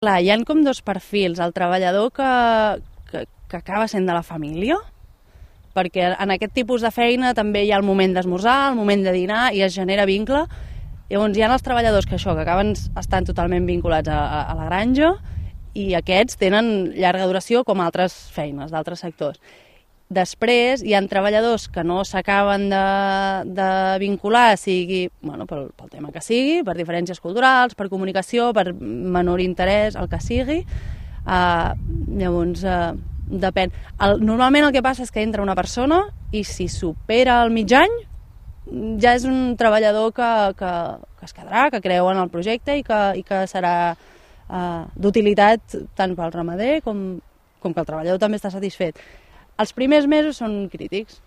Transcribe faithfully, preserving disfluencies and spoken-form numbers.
Clar, hi ha com dos perfils. El treballador que, que, que acaba sent de la família, perquè en aquest tipus de feina també hi ha el moment d'esmorzar, el moment de dinar, i es genera vincle. Llavors hi ha els treballadors que això, que acaben estant totalment vinculats a, a, a la granja, i aquests tenen llarga duració com altres feines d'altres sectors. Després hi ha treballadors que no s'acaben de, de vincular, sigui bueno, pel, pel tema que sigui, per diferències culturals, per comunicació, per menor interès, el que sigui. Uh, llavors, uh, depèn. El, normalment el que passa és que entra una persona i si supera el mig any ja és un treballador que, que, que es quedarà, que creu en el projecte i que, i que serà uh, d'utilitat tant pel ramader com, com que el treballador també està satisfet. Els primers mesos són crítics.